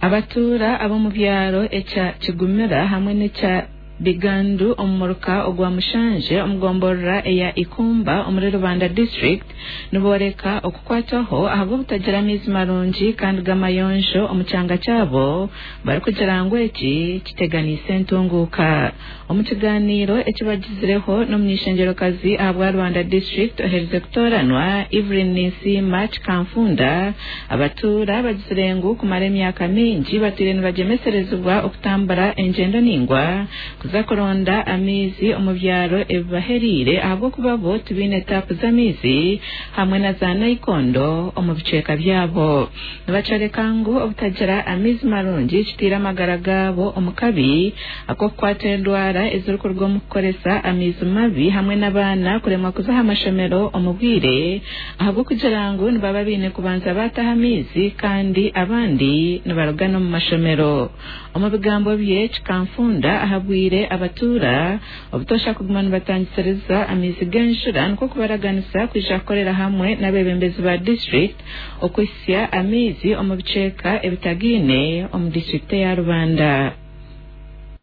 Abatuura ab'omu byaro ekya Kigumira hamwe n'ekya Bigandu omu muruka ogwa Mushanje omu gomborora eya Ikumba omuri Rubanda district niboreka okukwatwaho ahabw'obutagira amaizi marungi kandi g'amayonjo omu kyanga kyabo barikugira ngu eki kiteganiise entunguuka. Omu kiganiiro eki bagizireho n'omuny'eishengyerokazi ahabwa Rubanda district oherize kutooranwa Evelyn Ninsiima Kikanfunda, abatuura bagizire ngu kumara emyaka mingi batwire nibagyemeserezibwa okutambura engyendo ningwa kuza kuronda amaizi omu byaro ebibahereire ahabw'okuba bo tibaine taapu z'amaizi hamwe na za naikondo omu bicweka byabo. Nibakyoreka ngu obutagira amaizi marungi kitaire amagara gaabo omu kabi ak'okukwatwa endwara ezirikuruga omu kukoresa amaizi mabi hamwe n'abaana kuremwa kuza aha mashomero omu bwire ahabw'okugira ngu nibaba baine kubanza baataha amaizi kandi abandi nibaruga n'omu mashomero. Omu bigambo bye, Kikanfunda ahabwire abatuura obutoosha kuguma nibatangisiriza amaizi g'enjura nikwo kubaraganisa kwija kukorera hamwe n'abeebembezi ba disiturikiti okuhitsya amaizi omu bicweka ebitagaine omu disiturikiti eya Rubanda.